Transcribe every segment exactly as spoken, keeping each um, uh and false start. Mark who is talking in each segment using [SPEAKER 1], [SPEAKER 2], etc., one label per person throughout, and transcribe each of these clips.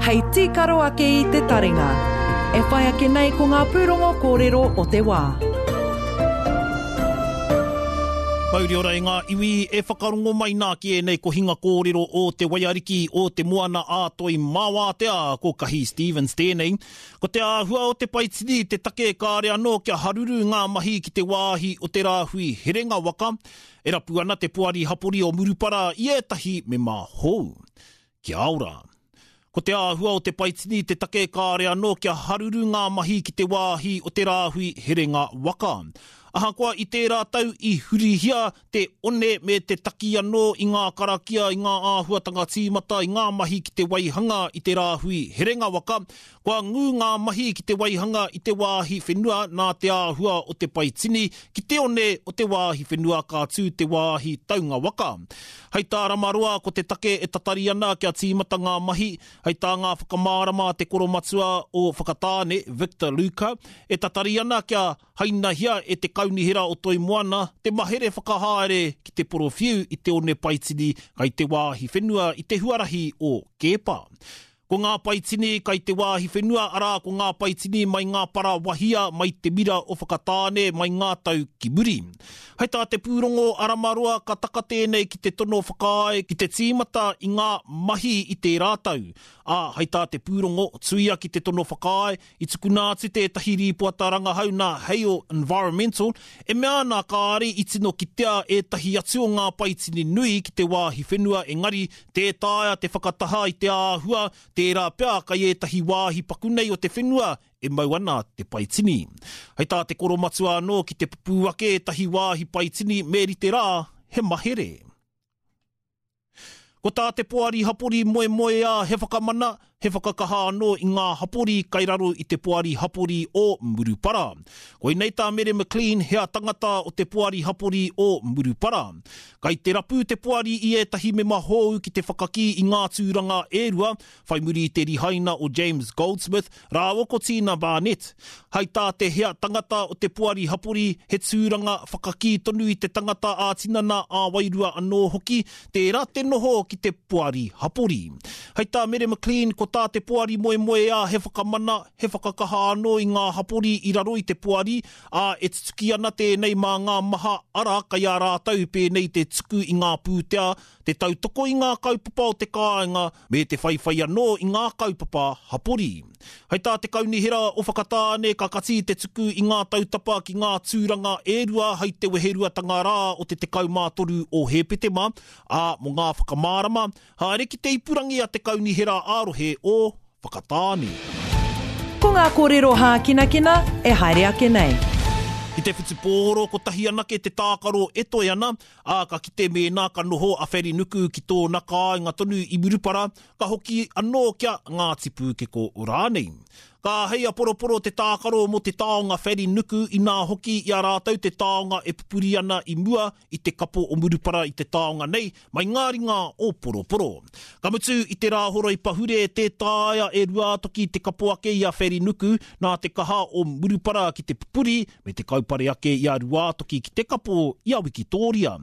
[SPEAKER 1] Hei tīkaro ake i te taringa. E whai ake nei ko ngā pūrongo kōrero o te wā.
[SPEAKER 2] Mauri ora e ngā iwi e whakarongo mai nā ki ēnei kohinga kōrero o te waiariki o te moana a Toi Māwātea, ko Kahi Stevens tēnei. Ko te āhua o te paitini te take kāre anō kia haruru ngā mahi ki te wāhi o te rāhui herenga waka, e rapu ana te poari hapori o Murupara i ētahi mema hou. Kia ora. Ko te āhua o te paitini te take kāre anō kia haruru ngā mahi ki te wāhi o te rāhui herenga waka. Ahakoa i tērā tau i hurihia te one me te taki anō i ngā karakia i ngā āhuatanga tīmata i ngā mahi ki te waihanga i te rāhui herenga waka, kua ngū ngā mahi ki te waihanga i te wāhi whenua nā te āhua o te paitini ki te one o te wāhi whenua ka tū te wāhi taunga waka. Hei tā Ramaroa ko te take e tatari ana kia tīmata ngā mahi, hei tā ngā whakamārama te koromatua o Whakatāne, Victor Luka, e tatari ana kia hainahia e te kaunihera o Toi Moana te mahere whakahaere ki te porowhiu i te one paitini kai te wāhi whenua i te huarahi o Keepa. Ko ngā paitini kai te wāhi whenua arā ko ngā paitini mai ngā para wahia mai te mira o Whakatāne mai ngā tau ki muri. Hei tā te pūrongo a Ramaroa ka taka tēnei ki te tono whakaae ki te tīmata i ngā mahi i tērā tau. Ā, hei tā te pūrongo, tuia ki te tono whakaae, i tukuna atu tētahi rīpoata rangahau nā Heio Environmental, e mea ana kāre i tino kitea ētahi atu o ngā paitini nui ki te wāhi whenua engari tē taea te whakataha i te āhua, tērā pea kai ētahi wāhi paku nei o te whenua e mau ana te paitini. Hei tā te koromatua anō ki te pupū ake ētahi wāhi paitini me rite rā, he mahere. Ko tā te poari hapori moemoeā he whakamana, he whakakaha anō i ngā hapori kai raro i te poari hapori o Murupara. Koinei tā Mere McLean hea tangata o te poari hapori o Murupara. Kai te rapu te poari i ētahi mema hou ki te whakakī i ngā tūranga e rua, whai muri i te rihaina o James Goldsmith, rāua ko Tina Barnett. Hei tā te hea tangata o te poari hapori, he tūranga whakakī tonu i te tangata ā-tinana ā-wairua anō hoki, tērā te noho ki te poari hapori. Hei tā Mere McLean, ko tā te poari moemoeā he whakamana, he whakakaha anō i ngā hapori i raro i te poari, ā, e tutuki ana tēnei mā ngā maha ara kai a rātou pēnei te tuku i ngā pūtea, te tautoko i ngā kaupapa o te kāinga, me te whaiwhai anō i ngā kaupapa hapori. Hei tā te kaunihera o Whakatāne ka kati te tuku i ngā tautapa ki ngā tūranga e rua hei te weheruatanga rā o te tekau mā toru o Hepetema, ā, mō ngā whakamārama, haere ki te ipurangi a te kaunihera ā-rohe o Whakatāne.
[SPEAKER 1] Ko ngā kōrero hākinakina e haere ake nei.
[SPEAKER 2] Ki te whutupōro kotahi anake te tākaro e toe ana, ā, ka kite mēnā ka noho a Wherinuku ki tōna kāinga tonu i Murupara, ka hoki anō kia Ngāti Pūkeko rānei. Ka hei a Poroporo te tākaro mō te taonga Wherinuku inā hoki i a rātou te taonga e pupuri ana i mua i te kapo o Murupara i te taonga nei mai ngā ringa o Poroporo. Ka mutu i te rāhoroi pahure tē taea e Ruātoki te kapo ake i a Wherinuku nā te kaha o Murupara ki te pupuri me te kaupare ake i a Ruātoki ki te kapo i a Wikitōria.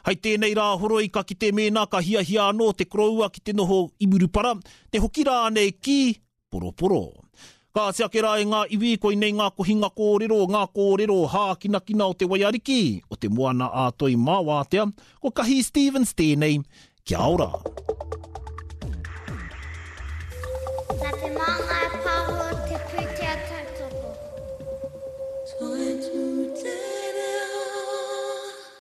[SPEAKER 2] Hei tēnei rāhoroi ka kite mēnā ka hiahia anō te koroua ki te noho i Murupara, te hoki rānei ki Poroporo. Ka ati ake rā e ngā iwi, koinei ngā kohinga kōrero, ngā kōrero hākinakina o te waiariki, o te moana a Toi Māwātea, ko Kahi Stevens tēnei, kia ora.